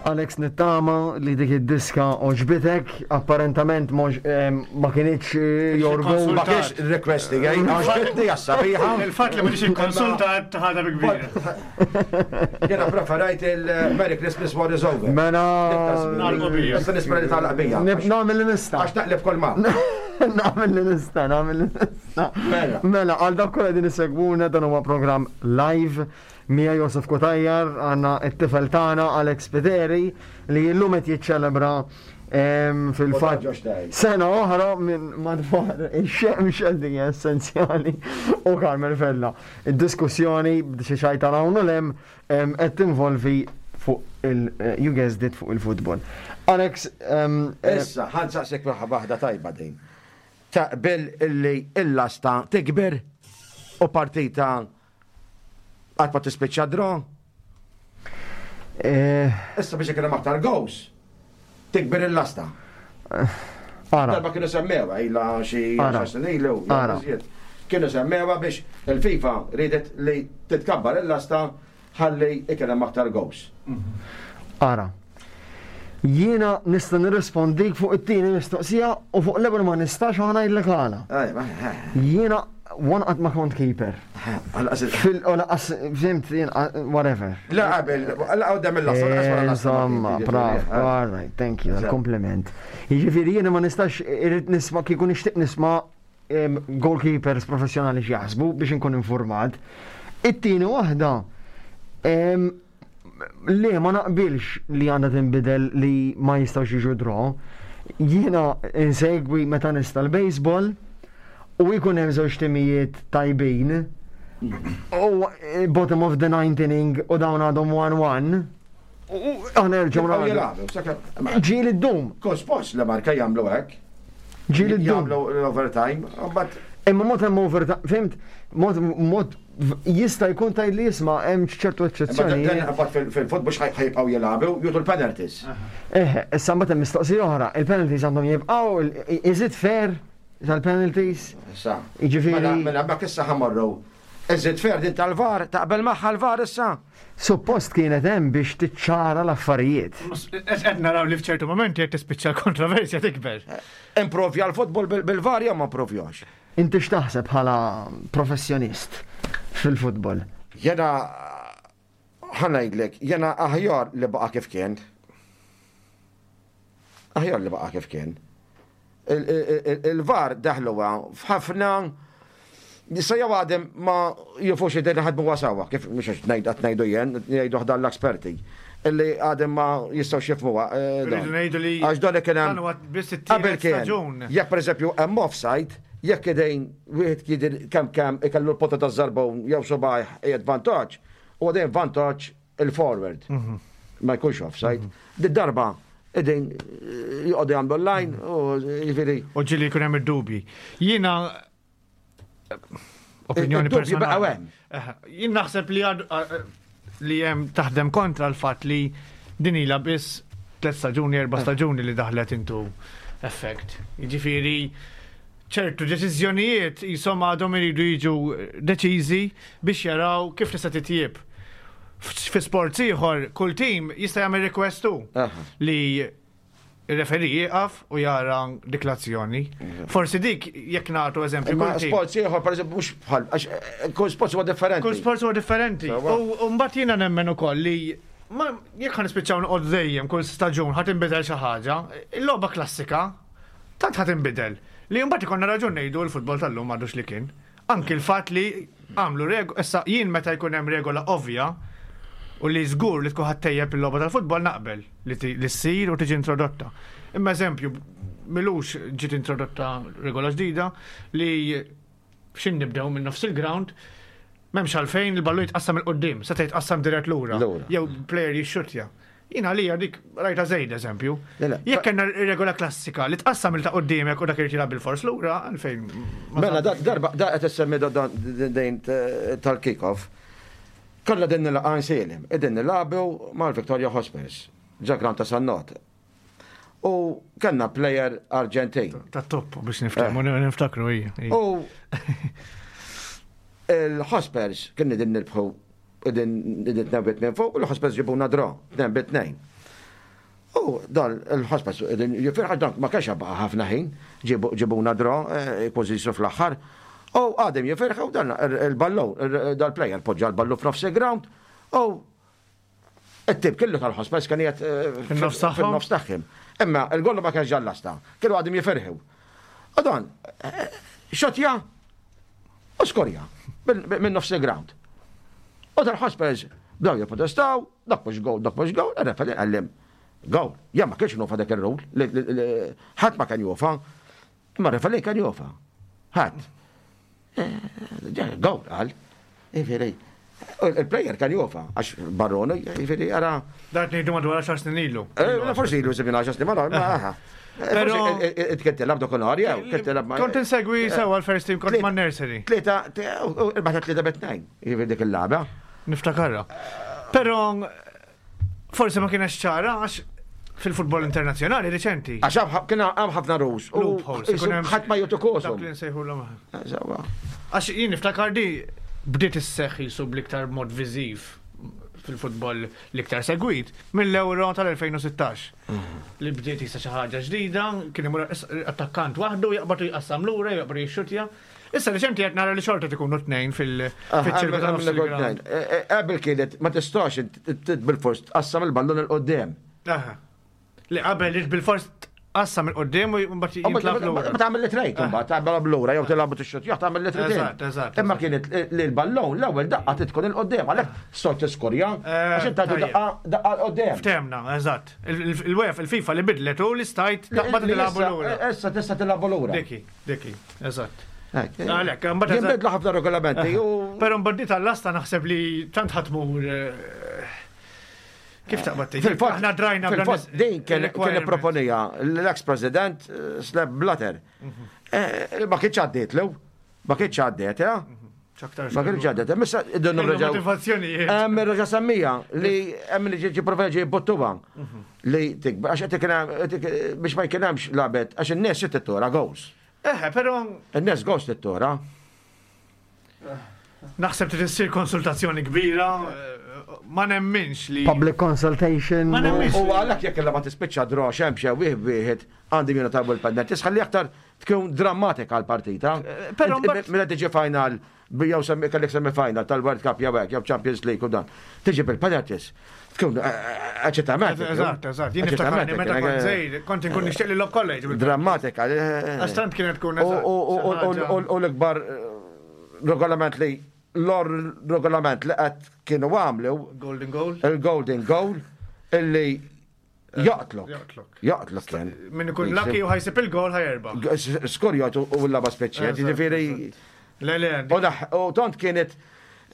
Alex nittama li dik id-diska oġbitek, apparentament ma kienx eh, your goal. Ma kienx request tiegħi, oġbitni għas-sabiħa. Il-fatt li ma kienx ikkonsultat ħaġa bi kbira. Jiena preferajt il-Merry Christmas War is Over. Mela. Issa nispera li tagħlaq bija. Nagħmel li nista'. Għax taqleb kol ma. Nagħmel li nista', nagħmel li nista'. Mela. Mela, għal dak kollha din isegwuna dan huwa programm live. Mija Josef Cutajar, għandna t-tifel tagħna Alex Spiteri li llum qed jiċċelebra fil-fatt sena oħra minn madwar ix-xemx li hija essenzjali u Carmel Vella. Id-diskussjoni xi xajta hawn u lem qed tinvolvi fuq il you guessed it fuq il-futbol. Alex, eh, Issa, ħa nsaqsik waħda tajba din. Taqbel illi il-lasta tikber u partita Qatt ma tispiċċa draw. Eh. Issa biex ikun hemm aktar goals, tikber il-lasta. Eh, ara. Darba kienu semmewa ila xi snin ilu. Kienu semmewa biex il-FIFA ridet li titkabbar il-lasta ħalli ikun hemm aktar goals. Ara. Jiena nista' nirrispondik fuq it-tieni mistoqsija u fuq l-ewwel ma nistax u ħa ngħidlek għala. Jiena one qatt ma kont keeper. Fil u laqas fhimt jien whatever. La qabel, la qudiem il-lasta, laqas wara l-lasta. Insomma, bravo, all right, thank you, kompliment. Jiġifieri jiena ma nistax irrid nisma' kieku nixtieq nisma' goalkeepers professjonali x'jaħsbu biex inkun informat. It-tieni waħda Le, ma naqbilx li għandha tinbidel li ma jistgħux jiġu draw. Jiena insegwi meta nista' l-baseball u jkun hemm żewġ timijiet tajbin u eh, bottom of the ninth inning u dawn għadhom 1-1. U aħna nerġgħu nagħmlu. Ġieli ddum. Kull sports li marka jagħmlu hekk. Ġieli ddum. Jagħmlu l-overtime, but Imma mod hemm overtime, fimt? Mod mod Jista' jkun tgħid li isma' hemm ċertu eċċezzjonijiet. Fil-futbol ħajbqgħu jilagħbu jutu l-penalties. Eh, issa mbagħad hemm mistoqsija oħra, il-penalties għandhom jibqgħu, is it fair tal-penalties? Issa. Jiġifieri. Mela, mela hemmhekk issa ħamorru. Is it fair din tal-VAR, taqbel magħha l-VAR issa? Suppost kienet hemm biex tiċċara l-affarijiet. Qed naraw li f'ċertu momenti qed tispiċċa l-kontroversja tikber. Improvja l-futbol bil-VAR jew ma improvjax? Inti x'taħseb bħala professjonist fil-futbol? Jena ħa ngħidlek, jena aħjar li baqa' kif kien. Aħjar li baqa' kif kien. Il-VAR daħluha f'ħafna Issa jew għadem ma jifux id ħadmu wasawa, kif mhux għax ngħid qed ngħidu jien, jgħidu ħdan l-esperti illi għadem ma jistgħux jifhmuha. Eh, Rridu ngħidu li għax dan kien hemm qabel kien. Jekk pereżempju hemm offside, jekk idejn wieħed jidher kemm kemm ikellu l-potta taż-żarbun jew subgħajh qiegħed vantaġġ, huwa dejjem vantaġġ il-forward. Mhm. Ma jkunx offside. Mhm. Di darba idejn eh, joqogħdu jagħmlu l-line u jiġifieri. U ġieli jkun hemm id-dubji. Jiena opinjoni personali. Jien naħseb li li hemm taħdem kontra l-fatt li din ilha biss tliet staġuni, erba' staġuni li daħlet intu effect. Jiġifieri ċertu deċiżjonijiet jisom għadhom iridu jiġu deċiżi biex jaraw kif tista' titjieb. Fi sports ieħor, kull tim jista' jagħmel request hu li Ir-referee jieqaf u jara dik l-azzjoni. Forsi dik jekk nagħtu eżempju. Imma sports ieħor pereżempju mhux bħal għax eh, kull sports huwa differenti. Kull sports huwa differenti. U mbagħad jiena nemmen ukoll li ma jekk ħa nispiċċaw noqgħod dejjem kull staġun ħa tinbidel xi ħaġa, il-logħba klassika tant ħa tinbidel li mbagħad ikollna raġun ngħidu l-futbol tal-lum m'għadux li kien. Anki l-fatt li għamlu regola, issa jien meta jkun hemm regola ovvja u li żgur li tkun ħa ttejjeb il-logħba tal-futbol naqbel li ssir u tiġi introdotta. Imma eżempju, milux ġiet introdotta regola ġdida li xin nibdew minn nofs il-ground, m'hemmx għalfejn il-ballu jitqassam il-qoddim, seta' jitqassam dirett lura. Jew player jixxutja. Jien għalija dik rajta żejda eżempju. Jekk kellna regola klassika li tqassam il ta' qudiemek u dak irid jilgħab bil-fors lura, għalfejn. Mela darba da qed issemmi dejn tal-kick-off. Kollha din nilqa' nsielem, qegħdin nilagħbu mal-Victoria Hospers, ġa ground ta' Sannot. U kellna player Arġentin. Ta' top biex niftakru, eh. niftakru hija. U il-Hospers kien din nirbħu Idin idin tnejn bi tnejn fuq u l-Hotspurs ġibuna draw, 2 bi 2. U dan il-ħospas jifirħa dan ma kienx baqa' ħafna ħin, ġibuna dro, eh, kważi fl-aħħar. U għadhom jifirħu dan il-ballu, dal-player poġġa l-ballu f'nofs il-ground u it-tip kellu tal-ħospes kien qiegħed eh, fin-nofs tagħhom. Imma il-gollu ma kienx ġallasta, kienu għadhom jifirħu. U dan, eh, xotja u skorja minn nofs il-ground. U tal-ħospes bdew jipprotestaw, dak mhux gowl, dak mhux gowl, ir-referee qallim gowl. Ja ma kienx nufa dak ir-rul, ħadd ma kien jufa, imma r-referee kien jufa. Ħadd. Eh, gowl qal. Jiġifieri, il-player kan jofa, għax Barrone, jiġifieri ara. Dak ngħidu madwar 10 snin ilu. Eh, forsi ilu żmien 10 snin, ma aha. Pero kien tilab dak nhar jew kien tilab ma. Kont insegwi eh, sewa l-first team kont ma' nursery. Tlieta, irbaħ tlieta bet-tnejn, jiġifieri dik il-lagħba. Niftakarha. Però Forsi ma kienx ċara għax fil-futbol internazzjonali riċenti. Għax kien hemm ħafna rules. Loopholes. Ħadd ma jagħtu kosu. Dak li nsejħulhom. Għax jien niftakar di bdiet isseħħ jisu bl-iktar mod viżiv fil-futbol l-iktar segwit mill-Euro tal-2016. Mhm. Li bdiet jisa xi ħaġa ġdida, kien imur attakkant waħdu jaqbad u jqassam lura, jaqbad jixxutja. Issa reċenti qed nara li xorta tkunu tnejn fil-ċirku ta' nofs il-ground. Eh, eh, qabel kienet ma tistax bil-fors tqassam il-ballun il-qoddim. Li qabel bil-fors tqassam il-qoddim u mbagħad jintlab lura. Ma tagħmel li trejt imbagħad tagħmel lura jew tilgħabu tixxut jew tagħmel li trejt. Eżatt, eżatt. Imma kienet li l-ballun l-ewwel daqqa tkun il-qoddim għalhekk sort tiskorja eh, għax inti daqqa daqqa l-qoddim. Ftemna, eżatt. Il-UEFA, il-FIFA li bidlet u li stajt taqbad tilgħabu lura. Issa tista' tilgħabu lura. Diki. Diki, eżatt. Għalek, mbagħad. Jinbidlu ħafna regolamenti. Però mbagħad tal-lasta naħseb li tant ħatmur eh, Kif taqbad tgħid? Fil-fatt aħna drajna fil-fatt din kien ipproponija l-ex President eh, Sleb Blatter. Mhm. Eh, ma kienx għaddiet lew, ma kienx għaddiet, eh? Mhm. Ma kienx għaddiet, missa id-donnu reġa. Motivazzjonijiet. Hemm reġa semmija li hemm li ġi prova ġi bottuba mhm. li tikber għax qed biex ma jkun hemmx labet għax in-nies se tittora goals. Eħe, però. In-nies goals tittora. Naħseb trid issir konsultazzjoni kbira, ma nemminx li. Public consultation. Ma nemminx. U għalhekk jekk il-lagħba tispiċċa draw xemm xew wieħed wieħed għandi jiena talbu l-penalties ħalli aktar tkun drammatika l-partita. Però mbagħad. Meta tiġi final jew semmi kellek semi final tal-World Cup jew hekk jew Champions League u dan. Tiġi bil-penalties. Tkun eċitament. Eżatt, eżatt. Jien niftakarni meta kont żgħir, kont inkun nixtieq li lob college. Drammatika. Għax tant kienet tkun. U l-ikbar regolament li l-or regolament li qed kienu għamlu. Golden Goal. Il-Golden Goal illi jaqtlok. Jaqtlok. Jaqtlok kien. Min ikun lucky u ħajsib il-gol ħajerba. Skorjat u l-laba speċjal, ġifieri. Le, le. U tant kienet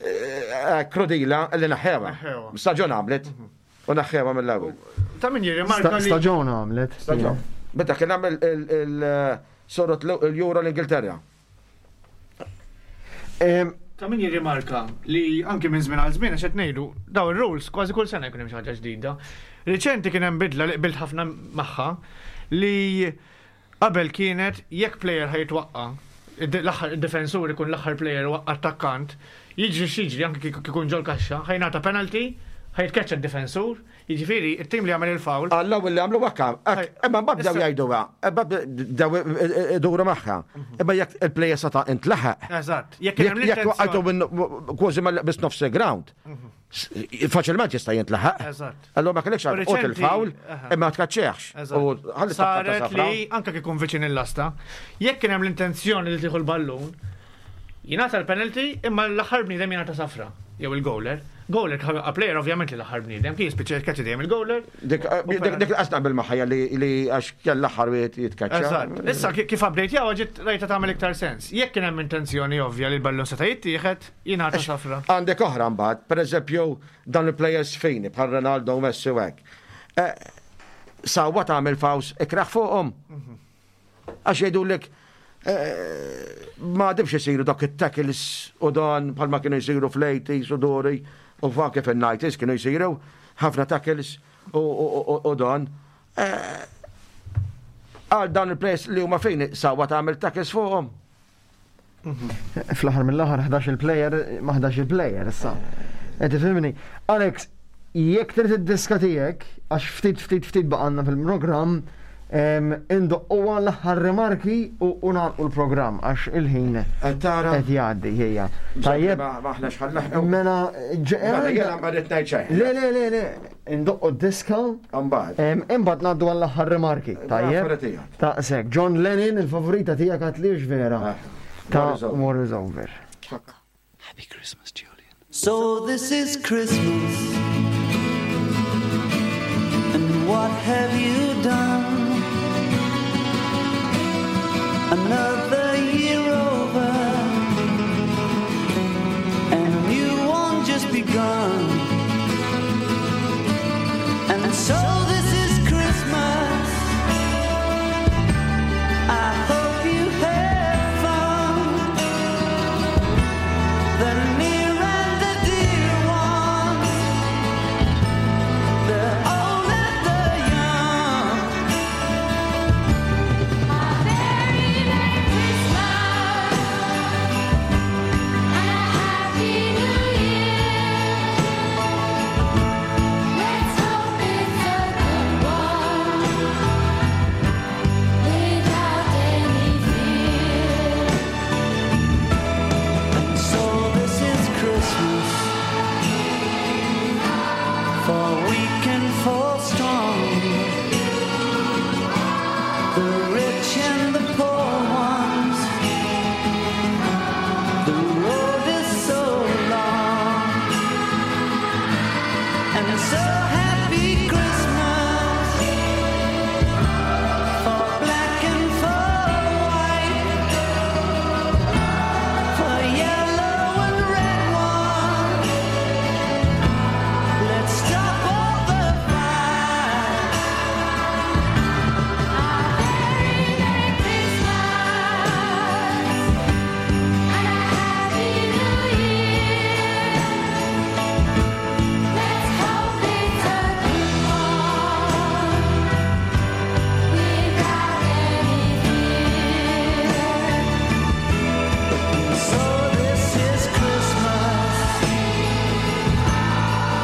eh, krudila li naħħewa. Staġun għamlet. Mhm. U naħħewa mill-ewwel. Ta' min jirrimarka li. Staġun għamlet. Staġun. Meta kien għamel il-sorot l-Euro l-Ingilterra. Ta' min jirrimarka li anki minn żmien għal żmien għax qed ngħidu daw ir-rules kważi kull sena jkun hemm xi ħaġa ġdida. Riċenti kien hemm bidla li qbilt ħafna magħha li qabel kienet jekk player ħa jitwaqqa' l-aħħar id-difensur ikun l-aħħar player waqqa' attakkant, jiġri x'jiġri anki kieku ikun ġol-kaxxa, ħa jingħata penalty, ħa jitkeċċa d-difensur, Jiġifieri, it-tim li jagħmel il-foul. Għall-ewwel li għamlu hekk, imma mbagħad bdew jgħiduha, imbagħad bdew iduru magħha. Imma jekk il-plejer seta' intlaħaq. Eżatt. Jekk kien hemm Jekk waqqajtu minn kważi mal biss nofs ground. Faċilment jista' jintlaħaq. Eżatt. Allura ma kellekx għal qot il-foul, imma tkaċċeħx. U ħalli Saret li anke kif ikun viċin il-lasta, jekk kien hemm l-intenzjoni li tieħu l-ballun, Jingħata l-penalty imma l-aħħar bniedem jingħata safra jew il-goaler. Goaler kif jibqa' player ovvjament li l-aħħar bniedem, kien jispiċċa jitkeċċa dejjem il-goaler. Dik dik qas naqbel magħha li għax kell l-aħħar wieħed jitkeċċa. Eżatt. Issa kif update jaw ġiet rajta tagħmel iktar sens. Jekk kien hemm intenzjoni ovvja li l-ballun seta' jittieħed, jingħata safra. Għandek oħra mbagħad, pereżempju dawn il-players fini bħal Ronaldo u Messi u hekk. Eh, sawwa tagħmel faws ikraħ fuqhom. Mhm. Għax jgħidulek eh, ma għadimx isiru dak it-tackles u dan bħalma kienu jsiru fl-80s u dori u anke fil-90s kienu jsiru ħafna tackles u dan. Eh, għal dan il-players li huma fejn sawa tagħmel tackles fuqhom. Fl-aħħar mill-aħħar 11 il-player ma 11 il-player issa. Qed tifhimni? Alex, Jekk trid id-diska tiegħek, għax ftit ftit ftit baqanna fil-programm, indoqquha l-aħħar rimarki u nagħlqu l-programm għax il-ħin qed jgħaddi ħejja. Tajjeb. Maħna xħal Mela mela jiena ma rrid ngħid xejn. Le le le le, indoqqu d-diska. Imbagħad. Imbagħad ngħaddu għall-aħħar rimarki. Tajjeb. Taqsek. John Lennon, il-favorita tiegħek għatlix vera. Ah, Ta' War is Over. Happy Christmas, Julian. So this is Christmas And what have you done? Another year over And a new one just begun And so this is Christmas I hope you have fun The near and the dear ones The old and the young Merry, Merry Christmas and a Happy New Year. Let's hope it's a good one, without any fear. And so this is Christmas For weak and for strong The rich and the poor ones The road is so long And so happy Christmas For black and for white For yellow and red one Let's stop all the fight Merry, Merry Christmas and a Happy New Year. Let's hope it's a good one, without any fear. So this is Christmas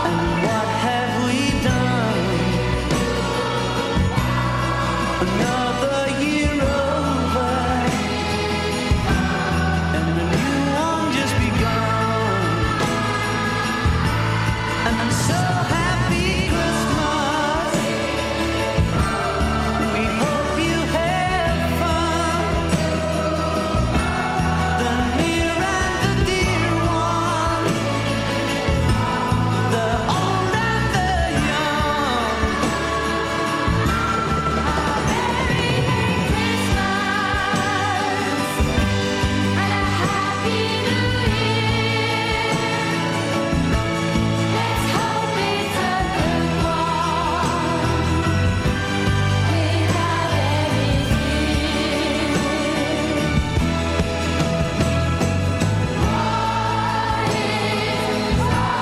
And what have we done? Another year over And a new one just begun And so happy Christmas We hope you have fun The near and the dear one The old and the young Merry, Merry Christmas and a Happy New Year. Let's hope it's a good one, without any fear. War is over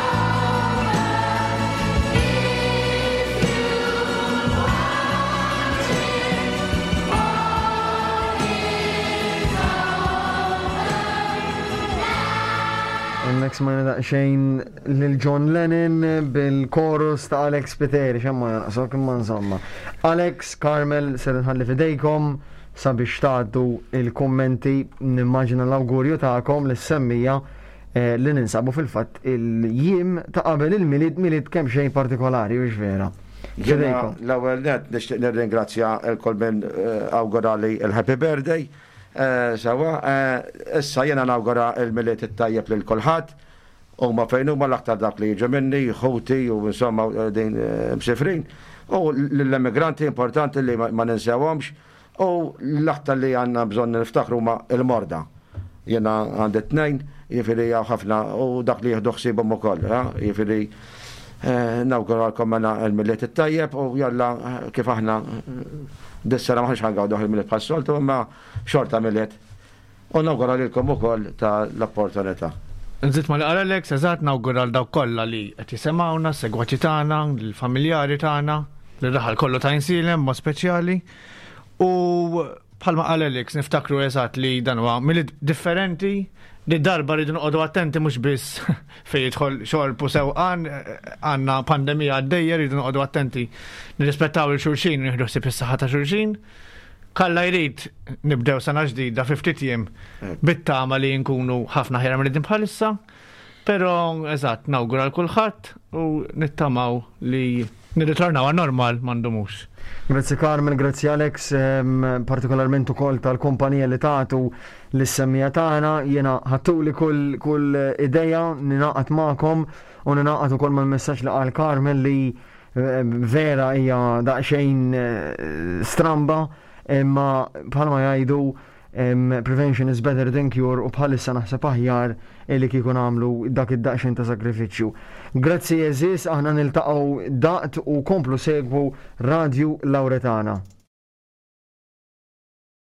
if you want it. Hemmhekk smajna daqsxejn lil John Lennon bil-chorus ta' Alex Piteri, xemma ma jonqsok imma insomma. Alex, Carmel, ser nħalli fidejkom sabiex tgħaddu il-kummenti nimmaġina l-awgurju tagħkom lis-semmija eh, li ninsabu fil-fatt il-jiem ta' qabel il-Milied Milied kemm xejn partikolari, hux vera. Jiena Fidejkom. l-ewwel net nixtieq nirringrazzja l-kull min eh, awgurali il-Happy Birthday. Eh, Sawa, eh, issa jiena nawgura il-Milied it-tajjeb lil kulħadd. Huma fejn huma l-aktar dak li jiġu minni, ħuti u insomma eh, din eh, msifrin. U l-immigranti importanti li ma ma ninsewhomx u l-aktar li għandna bżonn niftakru huma il-morda. Jiena għandi tnejn, jiġifieri hawn ħafna u dak li jieħdu ħsiebhom ukoll, ha? jiġifieri eh, nawguralkom mela l-Milied it-tajjeb u jalla eh, kif aħna eh, dis-sena maħniex ħangawdu il-Milied bħas-soltu imma xorta Milied. U nawgura lilkom ukoll ta' l-opportunità. Nżid ma li qal Alex, eżatt nawgura l dawk kollha li qed jisimgħuna, segwaċi tagħna, l-familjari tagħna, l-raħal kollu ta' Insilem mod speċjali. U bħalma qal Alex niftakru eżatt li dan huwa Milied differenti. Di darba rridu noqogħdu attenti mhux biss fejn jidħol xorb u sewqan, għandna pandemija għaddejja, rridu noqogħdu attenti nirrispettaw il xulxin u nieħdu ħsieb is-saħħa ta' xulxin. Kalla jrid nibdew sena ġdida fi ftit jiem bit-tama li nkunu ħafna ħjar milli bħalissa. Però eżatt nawgura l kulħadd u nittamaw li nirritornaw għan normal ma ndumux. Grazzi Carmen, grazzi Alex, partikolarment ukoll tal-kumpanija li tagħtu lis-semmija tagħna, jiena ħattuli kull, kull ideja ninaqat magħkom u ninaqat ukoll mal-messaġġ li qal Carmen li vera hija daqsxejn eh, stramba imma bħalma jgħidu prevention is better than cure u bħalissa naħseb aħjar li kieku nagħmlu dak id-daqsxejn ta' sagrifiċċju. Grazzi eżis, aħna niltaqgħu daqt u komplu segwu Radju Lauretana.